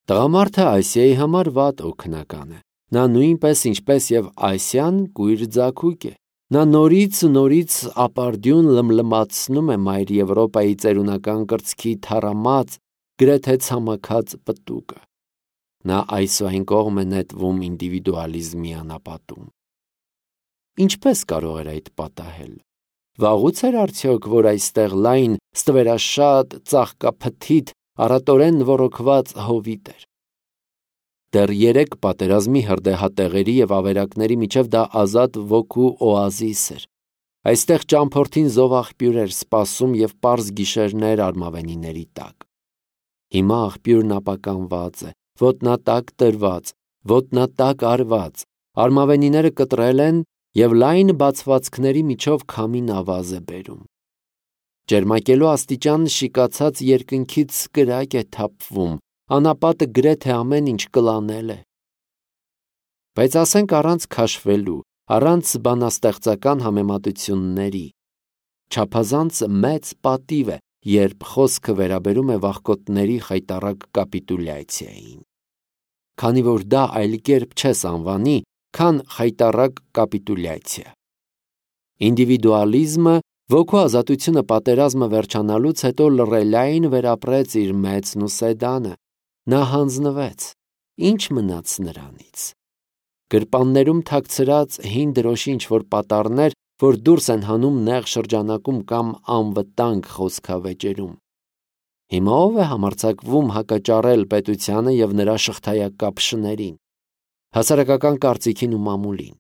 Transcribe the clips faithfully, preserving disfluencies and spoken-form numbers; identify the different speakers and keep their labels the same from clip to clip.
Speaker 1: Տղամարդը Այսիայի համար վատ օգնական է։ Նա նույնպես ինչպես եւ Այսիան կույր ձագուկ է։ Նա նորից ու նորից ապարդյուն լմլմացնում է մայր Եվրոպայի ծերունական կրծքի թառամած, գրեթե ցամաքած պտուկը։ Նա այսուայն կողմ է նետվում ինդիվիդուալիզմի անապատում։ Ինչպես կարող էր այդ պատահել։ Վաղուց էր արդյոք, որ այստեղ լայն, ստվերաշատ, ծաղկափթիթ, առատորեն ոռոգված հովիտ էր։ Դեռ երեք պատերազմի հրդեհատեղերի եւ ավերակների միջև դա ազատ ոգու օազիս էր։ Այստեղ ճամփորդին զով աղբյուր էր սպասում եւ պարզ գիշերներ արմավենիների տակ։ Հիմա աղբյուրն ապականված է, ոտնատակ տրված, ոտնատակ արված, արմավենիները կտրել են եւ լայն բացվածքների միջով քամին ավազ է բերում։ Ջերմակելու աստիճան շիկացած երկնքից կրակ է թափվում, անապատը գրեթե ամեն ինչ կլանել է։ Բայց ասենք առանց քաշվելու, առանց բանաստեղծական համեմատությունների, չափազանց մեծ պատիվ է, երբ խոսքը վերաբերում է վախկոտների խայտառակ կապիտուլյացիային։ Քանի որ դա այլ կերպ չես անվանի, քան խայտառակ կապիտուլյացիա։ Ինդիվիդուալիզմը, ոգու ազատությունը պատերազմը վերջանալուց հետո լռելային վերապրեց իր մեծն ու սեդանը։ Նա հանձնվեց։ Ինչ մնաց նրանից։ Գրպաններում թաքցրած հին դրոշի ինչ-որ պատառներ, որ դուրս են հանում նեղ շրջանակում կամ անվտանգ խոսքավեճերում։ Հիմա ով է համարձակվում հակաճառել պետությանը եւ նրա շղթայակապշներին, հասարակական կարծիքին ու մամուլին։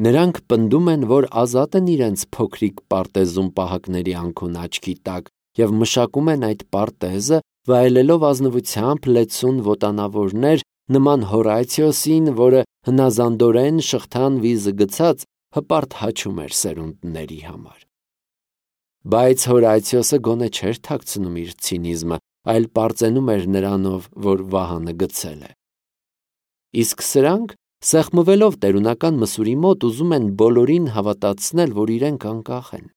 Speaker 1: Նրանք պնդում են, որ ազատ են իրենց փոքրիկ պարտեզում պահակների անքուն աչքի տակ եւ մշակում են այդ պարտեզը, վայելելով ազնվությամբ լեցուն ոտանավորներ նման Հորացիոսին, որը հնազանդորեն շղթան վիզը գցած հպարտ հաչում էր սերունդների համար։ Բայց Հորացիոսը գոնե չէր թաքցնում իր ցինիզմը, այլ պարծենում էր նրանով, որ վահանը գցել է։ Իսկ սրանք, սեղմվելով տերունական մսուրի մոտ, ուզում են բոլորին հավատացնել, որ իրենք անկախ են։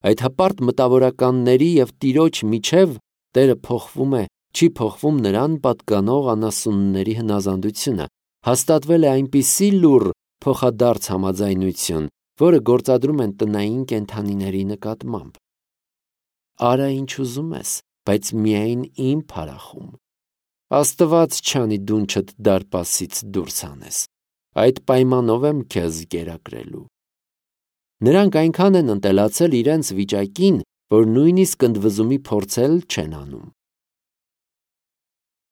Speaker 1: Այդ հպարտ մտավորականների եւ Տիրոջ միջև Տերը փոխվում է, չի փոխվում նրան պատկանող անասունների հնազանդությունը, հաստատվել է այնպիսի լուռ փոխադարձ համաձայնություն, որը գործադրում են տնային կենդանիների նկատմամբ։ Արա ինչ ուզում ես, բայց միայն իմ փարախում։ Աստված չանի դունչդ դարպասից դուրս անես։ Այդ պայմանով եմ քեզ կերակրելու։ Նրանք այնքան են ընտելացել իրենց վիճակին, որ նույնիսկ ընդվզումի փորձել չեն անում։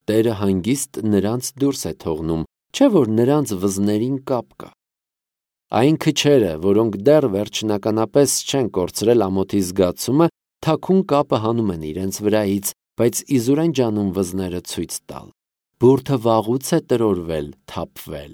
Speaker 1: Տերը հանգիստ նրանց դուրս է թողնում, չէ՞ որ նրանց վզներին կապ կա։ Այն քչերը, որոնք դեռ վերջնականապես չեն կորցրել ամոթի զգացումը, թաքուն կապը հանում են իրենց վրայից, բայց իզուր են ջանում վզները ցույց տալ։ Բուրդը վաղուց է տրորվել, թափվել։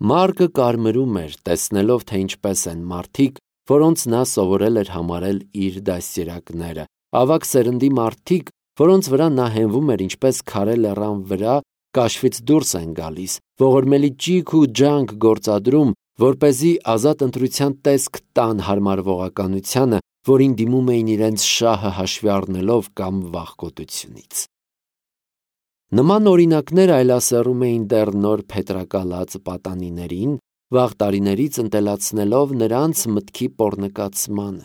Speaker 1: Մարկը կարմրում էր, տեսնելով, թե ինչպես են մարդիկ, որոնց նա սովորել էր համարել իր դաստիարակները, ավագ սերնդի մարդիկ, որոնց վրա նա հենվում էր ինչպես քարե լեռան վրա, կաշվից դուրս են գալիս, ողորմելի ճիգ ու ջանք գործադրում, որպեսզի ազատ ընտրության տեսք տան հարմարվողականությանը, որին դիմում էին իրենց շահը հաշվի առնելով կամ վախկոտությունից։ Նման օրինակներ այլասեռում էին դեռ նոր փետրակալած պատանիներին, վաղ տարիներից ընտելացնելով նրանց մտքի պոռնկացմանը։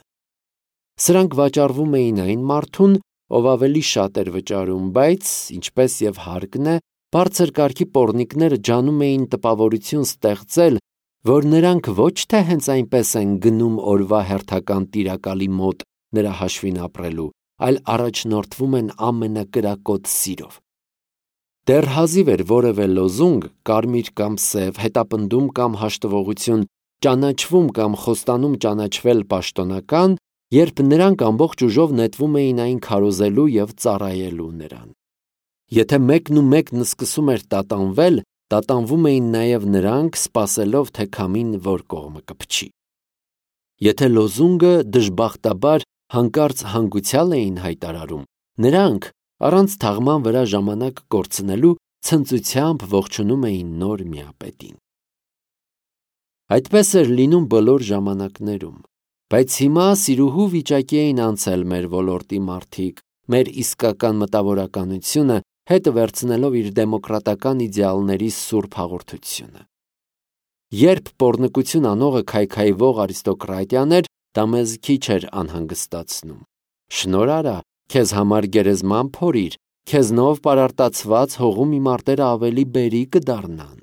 Speaker 1: Սրանք վաճառվում էին այն մարդուն, ով ավելի շատ էր վճարում, բայց, ինչպես եւ հարկն է, բարձր կարգի պոռնիկները ջանում էին տպավորություն ստեղծել, որ նրանք ոչ թե հենց այնպես են գնում օրվա հերթական տիրակալի մոտ նրա հաշվին ապրելու, այլ առաջնորդվում են ամենակրակոտ սիրով։ Դեռ հազիվ էր որևէ լոզունգ, կարմիր կամ սև, հետապնդում կամ հաշտվողություն, ճանաչվում կամ խոստանում ճանաչվել պաշտոնական, երբ նրանք ամբողջ ուժով նետվում էին այն քարոզելու եւ ծառայելու նրան։ Եթե մեկն ու մեկն սկսում էր տատանվել, տատանվում էին նաև նրանք, սպասելով, թե քամին որ կողմը կփչի։ Եթե լոզունգը դժբախտաբար հանկարծ հանգուցյալ էին հայտարարում, նրանք, առանց թաղման վրա ժամանակ կորցնելու, ցնծությամբ ողջունում էին նոր միապետին։ Այդպես էր լինում բոլոր ժամանակներում, բայց հիմա սիրուհու վիճակի էին անցել մեր ոլորտի մարդիկ, մեր իսկական մտավորականությունը, հետը վերցնելով իր դեմոկրատական իդեալների սուրբ հաղորդությունը։ Երբ պոռնկություն անողը քայքայվող արիստոկրատիան էր, դա մեզ քիչ էր անհանգստացնում։ Շնորհ արա, քեզ համար գերեզման փորիր, քեզնով պարարտացված հողում իմ արտերը ավելի բերի կդառնան։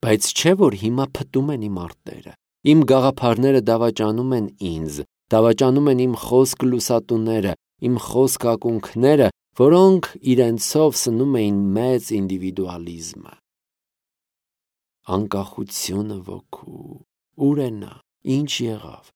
Speaker 1: Բայց չէ՞ որ հիմա փտում են իմ արտերը, իմ գաղափարները դավաճանում են ինձ, դավաճանում են իմ խոսք լուսատուները, իմ խոսք ակունքները, որոնք իրենցով սնում էին մեծ ինդիվիդուալիզմը։ Անկախությունը ոգու, ուր է նա, ինչ եղավ։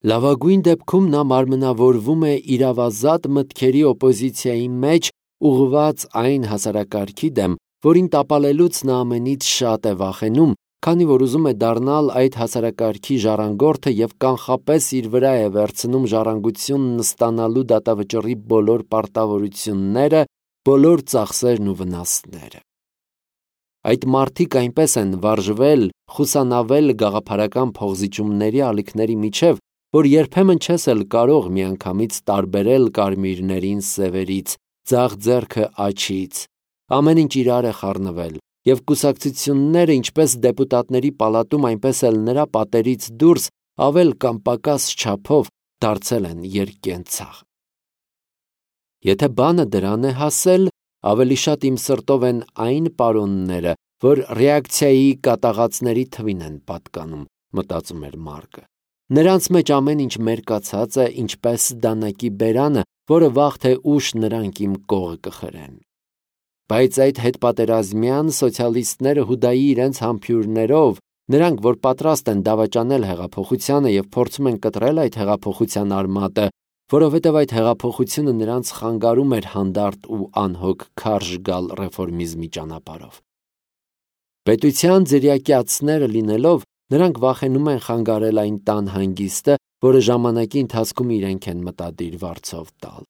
Speaker 1: Լավագույն դեպքում նա մարմնավորվում է իրավազատ մտքերի օպոզիցիայի մեջ, ուղղված այն հասարակարգի դեմ, որին տապալելուց նա ամենից շատ է վախենում, քանի որ ուզում է դառնալ այդ հասարակարգի ժառանգորդը և կանխապես իր վրա է վերցնում ժառանգությունն ստանալու դատավճռի բոլոր պարտավորությունները, բոլոր ծախսերն ու վնասները։ Այդ մարդիկ այնպես են վարժվել, խուսանավել գաղափարական փոխզիջումների ալիքների միջև, որ երբեմն չես էլ կարող միանգամից տարբերել կարմիրներին սևերից, ձախ ձեռքը աջից, ամեն ինչ իրար է խառնվել, և կուսակցությունները ինչպես դեպուտատների պալատում, այնպես էլ նրա պատերից դուրս ավել կամ պակաս չափով դարձել են երկկենցաղ։ Եթե բանը դրան է հասել, ավելի շատ իմ սրտով են այն պարոնները, որ ռեակցիայի կատաղածների թվին են պատկանում, մտածում էր Մարկը։ Նրանց մեջ ամեն ինչ մերկացած է, ինչպես դանակի բերանը, որը վաղ թե ուշ նրանք իմ կողը կխրեն։ Բայց այդ հետպատերազմյան սոցիալիստները Հուդայի իրենց համբույրներով, նրանք, որ պատրաստ են դավաճանել հեղափոխությանը և փորձում են կտրել այդ հեղափոխության արմատը, որովհետև այդ հեղափոխությունը նրանց խանգարում էր հանդարտ ու անհոգ քարշ գալ ռեֆորմիզմի ճանապարհով։ Պետության ձրիակյացները լինելով, նրանք վախենում են խանգարել այն տան հանգիստը, որը ժամանակի ընթացքում իրենք են մտադիր վարձով տալ։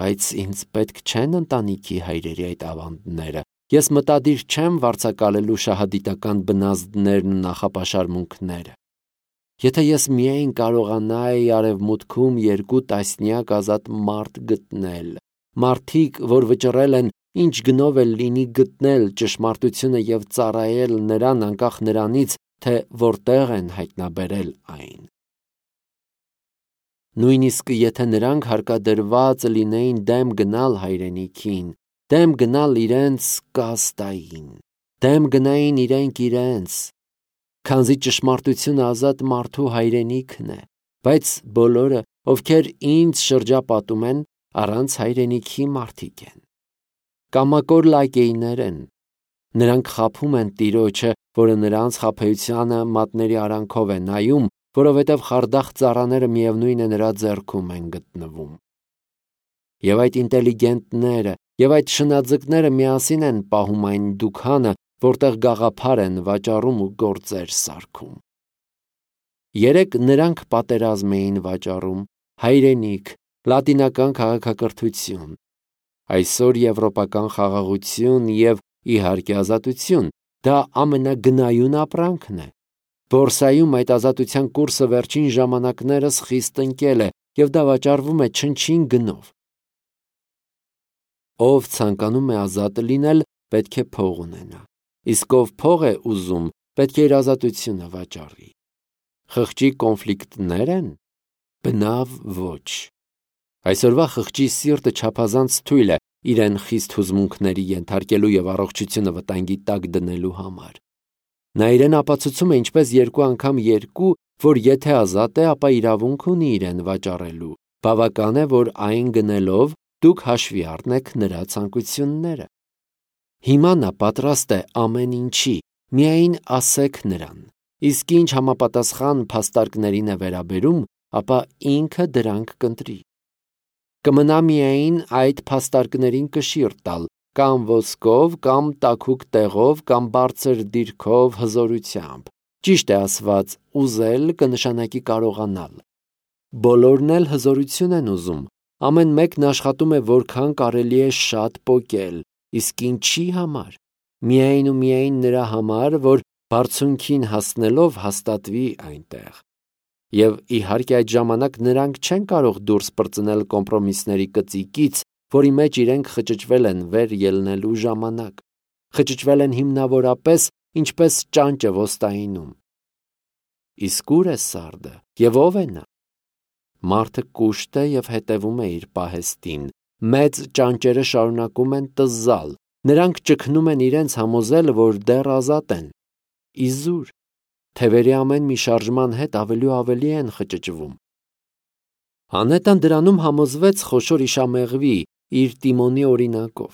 Speaker 1: Բայց ինձ պետք չեն ընտանիքի հայրերի այդ ավանդները, ես մտադիր չեմ վարձակալելու շահադիտական բնազդներն ու նախապաշարմունքները։ Եթե ես միայն կարողանայի արևմուտքում երկու տասնյակ ազատ մարդ գտնել, մարդիկ, որ վճռել են ինչ գնով էլ լինի գտնել ճշմարտությունը և ծառայել նրան անկախ նրանից, թե որտեղ են հայտնաբերել այն։ Նույնիսկ եթե նրանք հարկադրված լինեին դեմ գնալ հայրենիքին, դեմ գնալ իրենց կաստային, դեմ գնային իրենք իրենց, քանզի ճշմարտությունը ազատ մարդու հայրենիքն է, բայց բոլորը, ովքեր ինձ շրջապատում են, առանց հայրենիքի մարդիկ են։ Կամակոր լակեյներ են, նրանք խաբում են տիրոջը, որը նրանց խաբեությանը մատների արանքով է նայում, որովհետև խարդախ ծառաները միևնույն է նրա ձեռքում են գտնվում։ Եվ այդ ինտելիգենտները, և այդ շնաձկները միասին են պահում այն դուքանը, որտեղ գաղափար են վաճառում ու գործեր սարքում։ Երեկ նրանք պատերազմ էին վաճառում, հայրենիք, լատինական քաղաքակրթություն, այսօր եվրոպական խաղաղություն և իհարկե ազատություն, դա ամենագնայուն ապրանքն է։ Բորսայում այդ ազատության կուրսը վերջին ժամանակներս խիստ ընկել է և դա վաճառվում է չնչին գնով։ Ով ցանկանում է ազատ լինել, պետք է փող ունենա, իսկ ով փող է ուզում, պետք է իր ազատությունը վաճառի։ Խղճի կոնֆլիկտնե՞ր են։ Բնավ ոչ։ Այսօրվա խղճի սիրտը չափազանց թույլ է իրեն խիստ հուզմունքների ենթարկելու և առողջությունը վտանգի տակ դնելու համար։ Նա իրեն ապացուցում է ինչպես երկու անգամ երկու, որ եթե ազատ է, ապա իրավունք ունի իրեն վաճառելու, բավական է, որ այն գնելով դուք հաշվի առնեք նրա ցանկությունները։ Հիմա նա պատրաստ է ամեն ինչի, միայն ասեք նրան, իսկ ինչ համապատասխան փաստարկներին է վերաբերում, ապա ինքը դրանք կընտրի։ Կմնա միայն այդ փաստարկներին կշիռ տալ, կամ ոսկով, կամ տաքուկ տեղով, կամ բարձր դիրքով, հզորությամբ։ Ճիշտ է ասված, ուզել կնշանակի կարողանալ։ Բոլորն էլ հզորություն են ուզում, ամեն մեկն աշխատում է որքան կարելի է շատ պոկել, իսկ ինչի համար։ Միայն ու միայն նրա համար, որ բարձունքին հասնելով հաստատվի այնտեղ։ Եվ իհարկե այդ ժամանակ նրանք չեն կարող դուրս պրծնել կոմպրոմիսների կծիկից, որի մեջ իրենք խճճվել են վեր ելնելու ժամանակ, խճճվել են հիմնավորապես ինչպես ճանճը ոստայինում։ Իսկ ուր է Սարդը և ով է նա։ Մարդը կուշտ է և հետևում է իր պահեստին, մեծ ճանճերը շարունակում են տզալ, նրանք ճգնում են իրենց համոզել, որ դեռ ազատ են։ Իզուր, թևերի ամեն մի շարժման հետ ավելի ու ավելի են խճճվում։ Անետան դրանում համոզվեց խոշոր իշամեղվի իր տիմոնի օրինակով։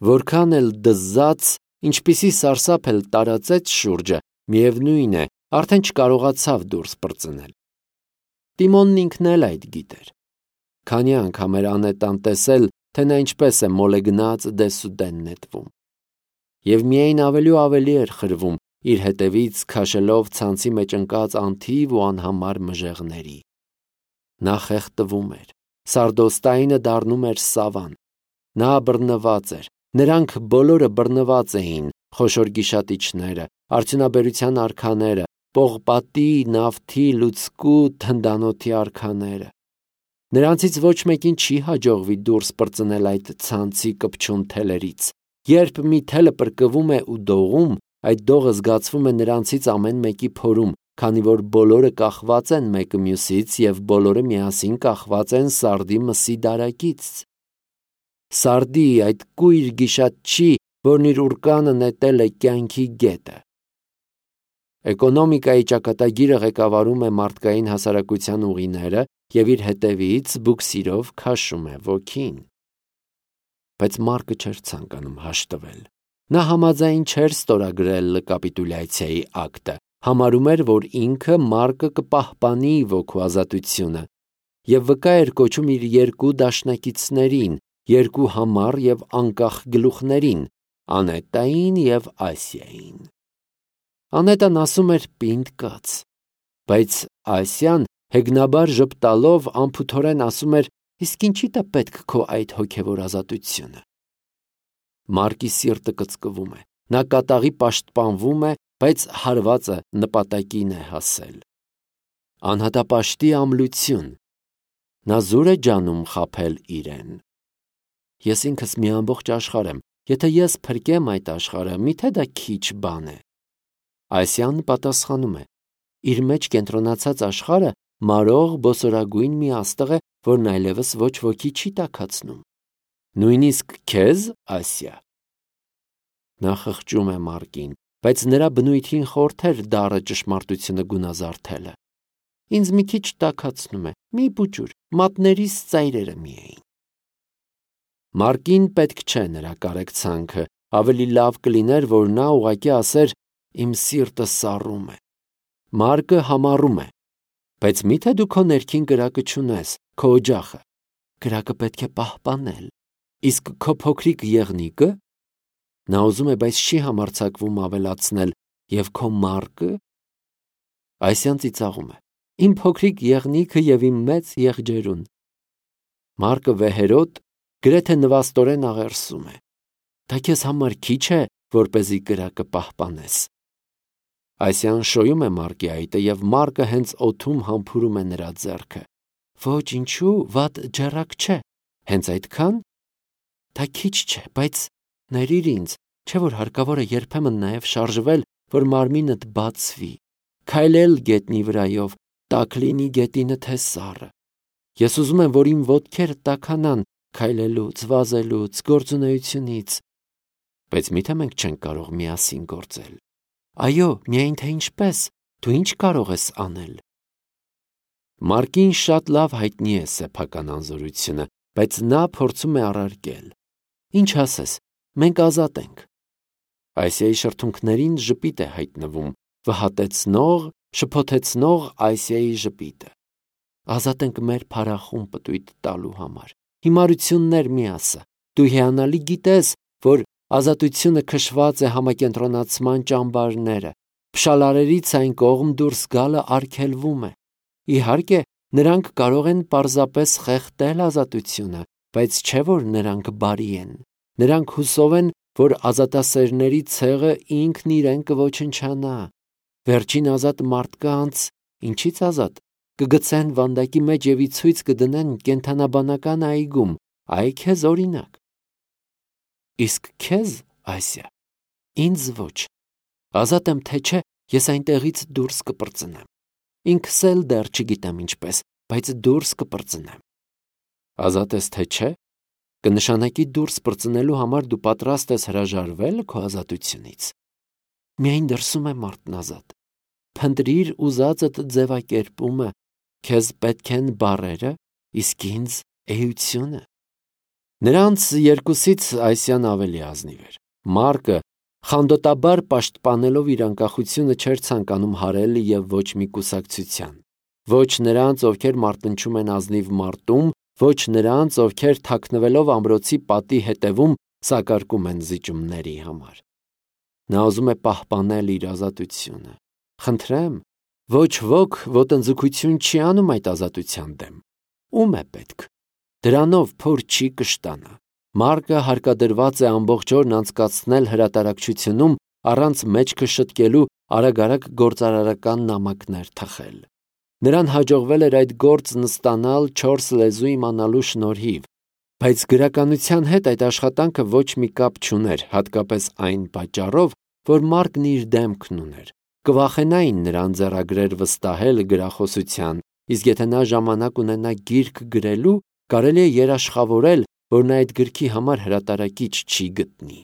Speaker 1: Որքան էլ դզաց, ինչպիսի սարսափ էլ տարածեց շուրջը, միևնույն է, արդեն չկարողացավ դուրս պրծնել։ Տիմոնն ինքն էլ այդ գիտեր։ Քանի անգամ էր անետան տեսել, թե նա ինչպես է մոլեգնած դեսուդեն նետվում։ Եվ միայն ավելի ու ավելի էր խրվում իր հետևից քաշելով ցանցի մեջ ընկած անթիվ ու անհամար մժեղների։ Նա խեղդվում էր, Սարդոստայինը դառնում էր սավան։ Նա բռնված էր, նրանք բոլորը բռնված էին, խոշոր գիշատիչները, արդյունաբերության արքաները, պողպատի, նավթի, լուցկու, թնդանոթի արքաները։ Նրանցից ոչ մեկին չի հաջողվի դուրս պրծնել այդ ցանցի կպչուն թելերից։ Երբ մի թելը պրկվում է ու դողում, այդ դողը զգացվում է նրանցից ամեն մեկի փորում, քանի որ բոլորը կախված են մեկը մյուսից և բոլորը միասին կախված են Սարդի մսի դարակից։ Սարդի այդ կույր գիշատչի, որն իր ուռկանը նետել է կյանքի գետը։ Էկոնոմիկայի ճակատագիրը ղեկավարում է մարդկային հասարակության ուղիները և իր հետևից բուքսիրով քաշում է ոգին։ Բայց Մարկը չէր ցանկանում հաշտվել։ Նա համաձայն չէր ստորագրել կապիտուլյացիայի ակտը, համարում էր, որ ինքը Մարկը կպահպանի ոգու ազատությունը և վկա էր կոչում իր երկու դաշնակիցներին, երկու համառ և անկախ գլուխներին՝ Անետային և Ասիային։ Անետան ասում էր պինդ կաց, բայց Ասիան հեգնաբար ժպտալով անփութորեն ասում էր. «Իսկ ինչի՞դ է պետք քո այդ հոգևոր ազատությունը»։ Մարկի սիրտը կծկվում է, նա կատաղի պաշտպանվում է, բայց հարվածը նպատակին է հասել։ Անհատապաշտի ամլություն։ Նա զուր է ջանում խաբել իրեն։ Ես ինքս մի ամբողջ աշխարհ եմ, եթե ես փրկեմ այդ աշխարհը, միթե դա քիչ բան է։ Ասիան պատասխանում է. իր մեջ կենտրոնացած աշխարհը մարող բոսորագույն մի աստղ է, որն այլևս ոչ ոքի չի տաքացնում։ Նույնիսկ քեզ, Ասիա։ Նա խղճում է Մարկին, բայց նրա բնույթին խորթ էր դառը ճշմարտությունը գունազարդելը։ Ինձ մի քիչ տաքացնում է, մի բուջուր, մատներիս ծայրերը միայն։ Մարկին պետք չէ նրա կարեկցանքը, ավելի լավ կլիներ, որ նա ուղղակի ասեր. «Իմ սիրտը սառում է»։ Մարկը համառում է. «Բայց մի՞թե դու քո ներքին կրակը չունես, քո օջախը։ Կրակը պետք է պահպանել։ Իսկ քո փոքրիկ եղնիկը»։ Նա ուզում է, բայց չի համարձակվում ավելացնել. «Եվ քո մարկը»։ Ասիան ծիծաղում է. «Իմ փոքրիկ եղնիկը և իմ մեծ եղջերուն»։ Մարկը վեհերոտ, գրեթե նվաստորեն աղերսում է. «Դա քեզ համար քիչ է, որպեսզի կրակը պահպանես»։ Ասիան շոյում է Մարկի այտը և Մարկը հենց օդում համբուրում է նրա ձեռքը։ Ոչ, ինչու, վատ ջեռակ չէ։ Հենց այդքան։ Դա քիչ չէ, բայց ներիր ինձ, չէ՞ որ հարկավոր է երբեմն նաև շարժվել, որ մարմինդ բացվի, քայլել գետնի վրայով, տաք լինի գետինը թե սառը։ Ես ուզում եմ, որ իմ ոտքերը տաքանան քայլելուց, վազելուց, գործունեությունից։ Բայց միթե մենք չենք կարող միասին գործել։ Այո, միայն թե ինչպես, դու ինչ կարող ես անել։ Մարկին շատ լավ հայտնի է սեփական անզորությունը, բայց նա փորձում է առարկել. «Ինչ ասես, մենք ազատ ենք»։ Ասիայի շրթունքներին ժպիտ է հայտնվում, վհատեցնող, շփոթեցնող Ասիայի ժպիտը։ Ազատ ենք մեր փառախուն պտույտ տալու համար։ Հիմարություններ մի ասա։ Դու հիանալի գիտես, որ ազատությունը քշված է համակենտրոնացման ճամբարները, փշալարերից այն կողմ դուրս գալը արգելվում է։ Իհարկե, նրանք կարող են պարզապես խեղդել ազատությունը, բայց չէ որ նրանք բարի են։ Նրանք հուսով են, որ ազատասերների ցեղը ինքն իրեն կոչնչանա։ Վերջին ազատ մարդկանց ինչի՞ց ազատ, կգցեն վանդակի մեջ և ի ցույց կդնեն կենդանաբանական այգում, այ քեզ օրինակ։ Իսկ քեզ, Ասիա, ինձ ոչ, ազատ եմ թե չէ, ես այնտեղից դուրս կպրծնեմ, ինքս էլ դեռ չգիտեմ ինչպես, բայց դուրս կպրծնեմ։ Ազատ ես թե չէ, կնշանակի դուրս պրծնելու համար դու պատրաստ ես հրաժարվել քո ազատությունից։ Միայն դրսում է մարդն ազատ, փնտրիր ուզածդ ձևակերպումը, քեզ պետք են բառերը, իսկ ինձ էությունը։ Նրանց երկուսից Ասիան ավելի ազնիվ էր։ Մարկը խանդոտաբար պաշտպանելով իր անկախությունը չէր ցանկանում հարել և ոչ մի կուսակցության, ոչ նրանց, ովքեր մարտնչում են ազնիվ մարտում, ոչ նրանց, ովքեր թաքնվելով ամրոցի պատի հետևում սակարկում են զիջումների համար։ Նա ուզում է պահպանել իր ազատությունը։ Խնդրեմ, ոչ ոք ոտնձգություն չի անում այդ ազատության դեմ։ Ում է պետք։ Դրանով փոր չի կշտանա։ Մարկը հարկադրված է ամբողջ օրն անցկացնել հրատարակչությունում առանց մեջքը շտկելու արագ-արագ գործարարական նամակներ թխել։ Նրան հաջողվել էր այդ գործն ստանալ չորս լեզու իմանալու շնորհիվ, բայց գրականության հետ այդ աշխատանքը ոչ մի կապ չուներ, հատկապես այն պատճառով, որ Մարկն իր դեմքն ուներ։ Կվախենային նրան ձեռագրեր վստահել գրախոսության, իսկ եթե նա ժամանակ ունենա գիրք գրելու, կարելի է երաշխավորել, որ նա այդ գրքի համար հրատարակիչ չի գտնի։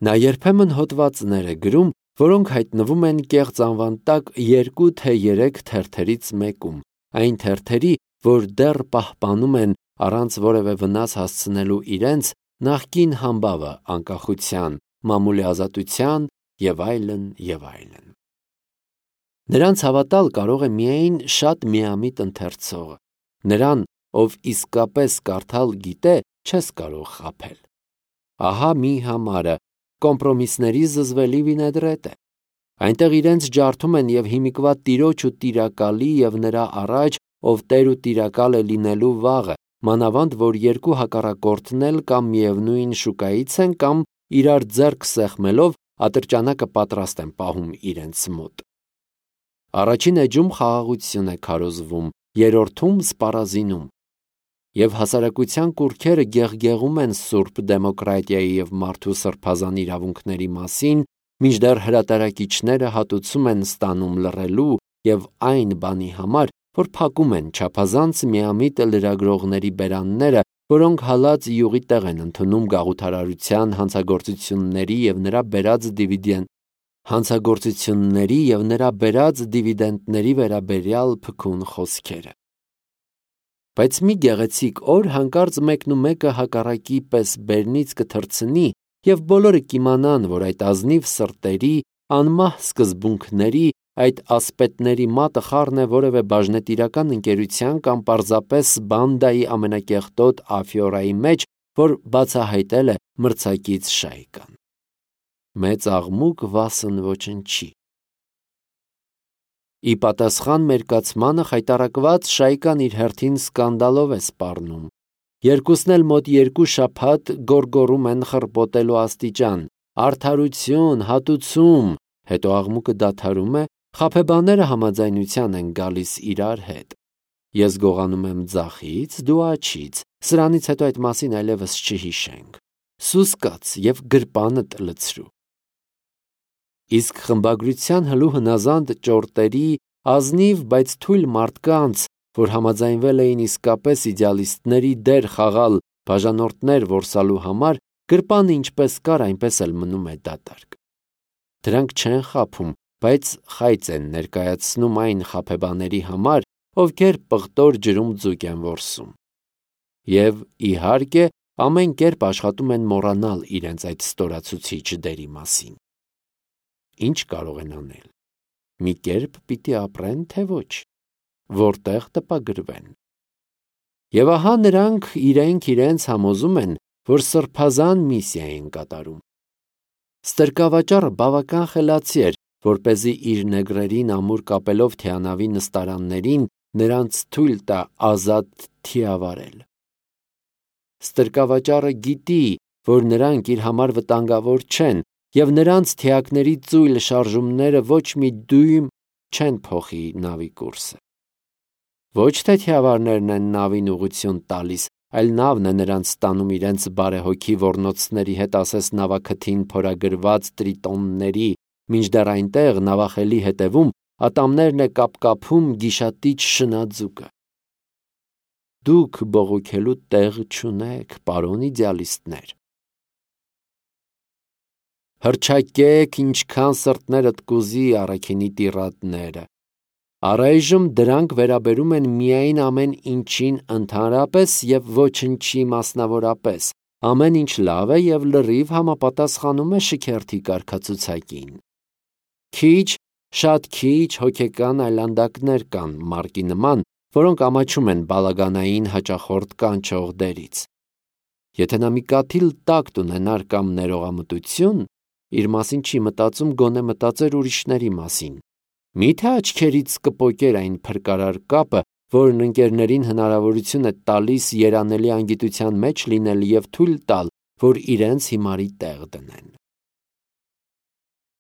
Speaker 1: Նա երբեմն հոդվածներ է գրում, որոնք հայտնվում են կեղծ անվան տակ երկու թե երեք թերթերից մեկում, այն թերթերի, որ դեռ պահպանում են առանց որևէ վնաս հասցնելու իրենց նախկին համբավը անկախության, մամուլի ազատության և այլն, և այլն։ Նրանց հավատալ կարող է միայն շատ միամիտ ընթերցողը։ Նրան, ով իսկապես կարդալ գիտե, չես կարող խաբել։ Ահա մի համարը կոմպրոմիսների զզվելի վինեգրետ է։ Այնտեղ իրենց ջարդում են և հիմիկվա տիրոջ ու տիրակալի և նրա առաջ, ով տեր ու տիրակալ է լինելու վաղը, մանավանդ, որ երկու հակառակորդն էլ կամ միևնույն շուկայից են, կամ իրար ձեռք սեղմելով ատրճանակը պատրաստ են պահում իրենց մոտ։ Առաջին էջում խաղաղություն է քարոզվում, երրորդում սպառազինում։ Եվ հասարակության կուռքերը գեղգեղում են սուրբ դեմոկրատիայի և մարդու սրբազան իրավունքների մասին, մինչդեռ հրատարակիչները հատուցում են ստանում լռելու և այն բանի համար, որ փակում են չափազանց միամիտ լրագրողների բերանները, որոնք հալած յուղի տեղ են ընդունում գաղութարարության հանցագործությունների և նրա բերած դիվիդենդ հանցագործությունների և նրա բերած դիվիդենտների վերաբերյալ փքուն խոսքերը։ Բայց մի գեղեցիկ օր հանկարծ մեկնումեկը հակառակի պես բերնից կթռցնի, և բոլորը կիմանան, որ այդ ազնիվ սրտերի, անմահ սկզբունքների, այդ ասպետների մատը խառն է որևէ բաժնետիրական ընկերության կամ պարզապես բանդայի ամենակեղտոտ աֆյորայի մեջ, որ բացահայտել է մրցակից շայկան։ Մեծ աղմուկ վասն ոչնչի։ Ի պատասխան մերկացմանը խայտառակված շայկան իր հերթին սկանդալով է սպառնում։ Երկուսն էլ մոտ երկու շաբաթ գոռգոռում են խռպոտելու աստիճան. «Արդարություն, հատուցում», հետո աղմուկը դադարում է, խաբեբաները համաձայնության են գալիս իրար հետ։ Ես գողանում եմ ձախից, դու աջից, սրանից հետո այդ մասին այլևս չհիշենք։ Սուս կաց և գրպանդ լցրու։ Իսկ խմբագրության հլու հնազանդ ճորտերի, ազնիվ, բայց թույլ մարդկանց, որ համաձայնվել էին իսկապես իդեալիստների դեր խաղալ բաժանորդներ որսալու համար, գրպանը ինչպես կար, այնպես էլ մնում է դատարկ։ Դրանք չեն խաբում, բայց խայծ են ներկայացնում այն խաբեբաների համար, ովքեր պղտոր ջրում ձուկ են որսում։ Եվ, իհարկե, ամեն կերպ աշխատում են մոռանալ իրենց այդ ստորացուցիչ դերի մասին։ Ինչ կարող են անել։ Մի կերպ պիտի ապրեն, թե ոչ։ Որտեղ տպագրվեն։ Եվ ահա նրանք իրենք իրենց համոզում են, որ սրբազան միսիա են կատարում։ Ստրկավաճառը բավական խելացի էր, որպեսզի իր նեգրերին ամուր կապելով թիանավի նստարաններին նրանց թույլ տա ազատ թիավարել։ Ստրկավաճառը գիտի, որ նրանք իր համար վտանգավոր չեն, և նրանց թիակների ծույլ շարժումները ոչ մի դույմ չեն փոխի նավի կուրսը։ Ոչ թե թիավարներն են նավին ուղղություն տալիս, այլ նավն է նրանց ստանում իրենց բարեհոգի ոռնոցների հետ ասես նավաքթին փորագրված տրիտոնների, մինչդեռ այնտեղ նավախելի հետևում ատամներն է կապկապում գիշատիչ շնաձուկը։ Դուք բողոքելու տեղ չունեք, պարոն իդեալիստներ։ Հռչակեք, ինչքան սրտներդ կուզի, առաքինի տիրատները։ Առայժմ դրանք վերաբերում են միայն ամեն ինչին ընդհանրապես և ոչնչի մասնավորապես, ամեն ինչ լավ է և լրիվ համապատասխանում է շքերթի կարգացուցակին։ Քիչ, շատ քիչ հոգեկան այլանդակներ կան Մարկի նման, որոնք ամաչում են բալագանային հաճախորդ կանչող դերից։ Եթե նա մի կաթիլ տակտ ունենար կամ ներողամտություն, իր մասին չի մտածում, գոնե մտածեր ուրիշների մասին։ Մի՞թե աչքերից կպոկեր այն փրկարար կապը, որն ընկերներին հնարավորություն է տալիս երանելի անգիտության մեջ լինել և թույլ տալ, որ իրենց հիմարի տեղ դնեն։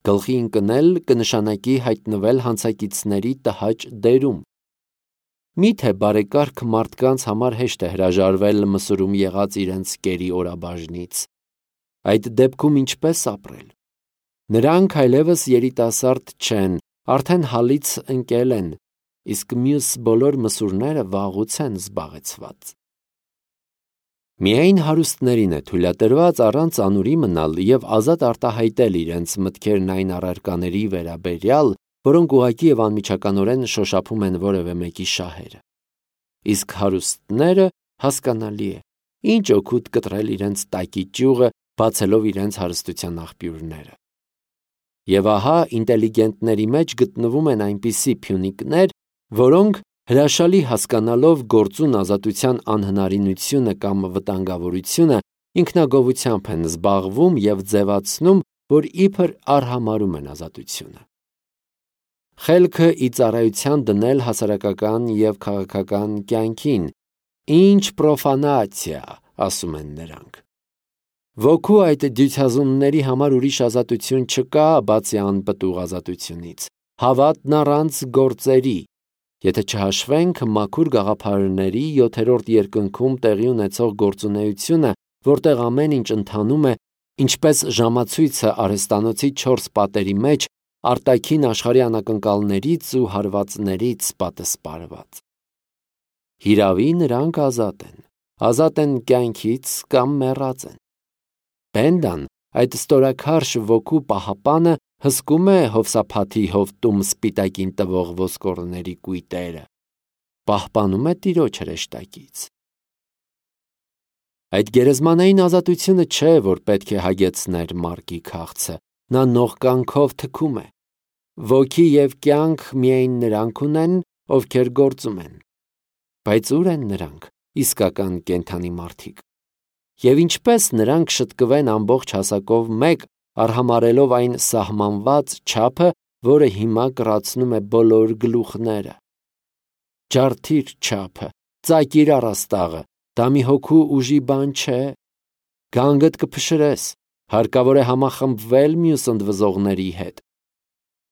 Speaker 1: Գլխի ընկնել կնշանակի հայտնվել հանցակիցների տհաճ դերում։ Մի՞թե բարեկարգ մարդկանց համար հեշտ է հրաժարվել մսուրում եղած իրենց կերի օրաբաժնից։ Այդ դեպքում ինչպե՞ս ապրել։ Նրանք այլևս երիտասարդ չեն, արդեն հալից ընկել են, իսկ մյուս բոլոր մսուրները վաղուց են զբաղեցված։ Միայն հարուստներին է թույլատրված առանց անուրի մնալ և ազատ արտահայտել իրենց մտքերն այն առարկաների վերաբերյալ, որոնք ուղղակի և անմիջականորեն շոշափում են որևէ մեկի շահերը։ Իսկ հարուստները, հասկանալի է, ինչ օգուտ կտրել իրենց տակի ճյուղը, բացելով իրենց հարստության աղբյուրները։ Եվ ահա ինտելիգենտների մեջ գտնվում են այնպիսի փյունիկներ, որոնք հրաշալի հասկանալով գործուն ազատության անհնարինությունը կամ վտանգավորությունը, ինքնագովությամբ են զբաղվում և ձևացնում, որ իբր արհամարհում են ազատությունը։ Խելքը ի ծառայության դնել հասարակական և քաղաքական կյանքին, ինչ պրոֆանացիա, ասում են նրանք։ Ոգու այդ դյուցազունների համար ուրիշ ազատություն չկա, բացի անպտուղ ազատությունից, հավատն առանց գործերի, եթե չհաշվենք մաքուր գաղափարների յոթերորդ երկնքում տեղի ունեցող գործունեությունը, որտեղ ամեն ինչ ընթանում է, ինչպես ժամացույցը արհեստանոցի չորս պատերի մեջ, արտաքին աշխարհի անակնկալներից ու հարվածներից պատսպարված։ Հիրավի նրանք ազատ են, ազատ են կյանքից կամ մեռած են։ Բենդան, այդ ստորաքարշ ոգու պահապանը, հսկում է հովսափաթի հովտում սպիտակին տվող ոսկորների կույտերը, պահպանում է տիրոջ հրեշտակից։ Այդ գերեզմանային ազատությունը չէ, որ պետք է հագեցներ Մարկի քաղցը, նա նողկանքով թքում է։ Ոգի և կյանք միայն նրանք ունեն, ովքեր գործում են։ Բայց ո՞ւր են նրանք, իսկական կենդանի մարդիկ։ Եվ ինչպես նրանք շտկվեն ամբողջ հասակով մեկ, արհամարհելով այն սահմանված չափը, որը հիմա կռացնում է բոլոր գլուխները։ Ջարդիր չափը, ծակիր առաստաղը, դա մի հոգու ուժի բան չէ։ Գանգդ կփշրես, հարկավոր է համախմբվել մյուս ընդվզողների հետ։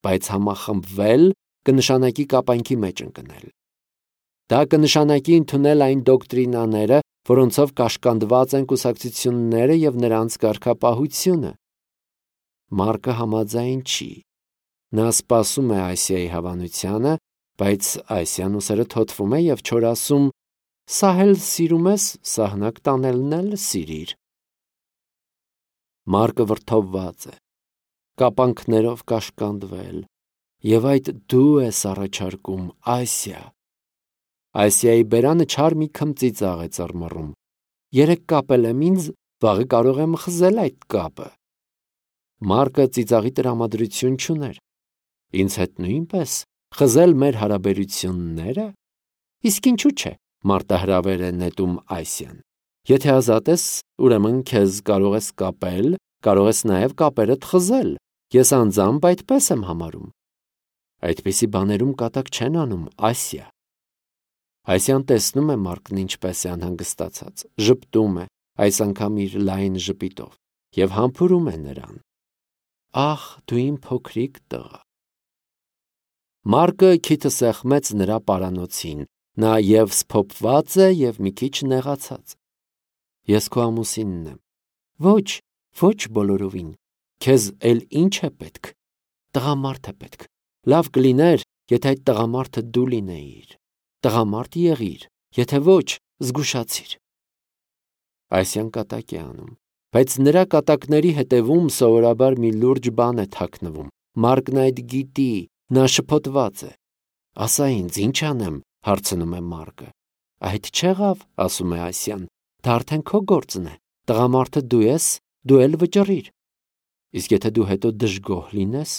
Speaker 1: Բայց համախմբվել կնշանակի կապանքի մեջ ընկնել։ Դա կնշանակի ընդունել այն դոկտրինաները, որոնցով կաշկանդված են կուսակցությունները և նրանց կարգապահությունը։ Մարկը համաձայն չի։ Նա սպասում է Ասիայի հավանությանը, բայց Ասիան ուսերը թոթվում է և չոր ասում. «Սա էլ սիրում ես, սահնակ տանելն էլ սիրիր»։ Մարկը վրդովված է, կապանքներով կաշկանդվել, և այդ դու ես առաջարկում, Ասիա։ Ասիայի բերանը չար մի քմծիծաղ է ծռմռում։ Երեկ կապել եմ ինձ, վաղը կարող եմ խզել այդ կապը։ Մարկը ծիծաղի տրամադրություն չուներ։ Ինձ հետ նույնպես, խզել մեր հարաբերություննե՞րը։ Իսկ ինչու՞ չէ, մարտահրավեր է նետում Ասիան։ Եթե ազատ ես, ուրեմն քեզ կարող ես կապել, կարող ես նաև կապերդ խզել։ Ես անձամբ այդպես եմ համարում։ Այդպիսի բաներում կատակ չեն անում, Ասիա։ Ասիան տեսնում է Մարկն ինչպես է անհանգստացած, ժպտում է, այս անգամ իր լայն ժպիտով, և համբուրում է նրան։ Ախ, դու իմ փոքրիկ տղա։ Մարկը քիթը սեղմեց նրա պարանոցին, Նա եւ սփոփված է եւ մի քիչ նեղացած։ Ես քո ամուսինն եմ։ Ոչ, ոչ բոլորովին։ Քեզ էլ ինչ է պետք։ Տղամարդ է պետք։ Լավ կլիներ, եթե այդ տղամարդը դու լինեիր։ Տղամարդ եղիր, եթե ոչ, զգուշացիր։ Այսյան կատակ է անում, բայց նրա կատակների հետևում սովորաբար մի լուրջ բան է թաքնվում։ Մարկն այդ գիտի, նա շփոթված է։ Ասա ինձ, ինչ անեմ, հարցնում է Մարկը։ Այդ չեղավ, ասում է Ասյան, դա արդեն քո գործն է։ Տղամարդը դու ես, դու էլ վճռիր։ Իսկ եթե դու հետո դժգոհ լինես,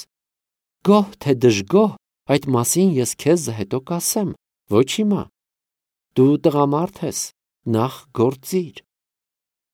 Speaker 1: գոհ թե դժգոհ, այդ մասին ես քեզ հետո կասեմ, ոչ հիմա։ Դու տղամարդ ես, նախ գործիր։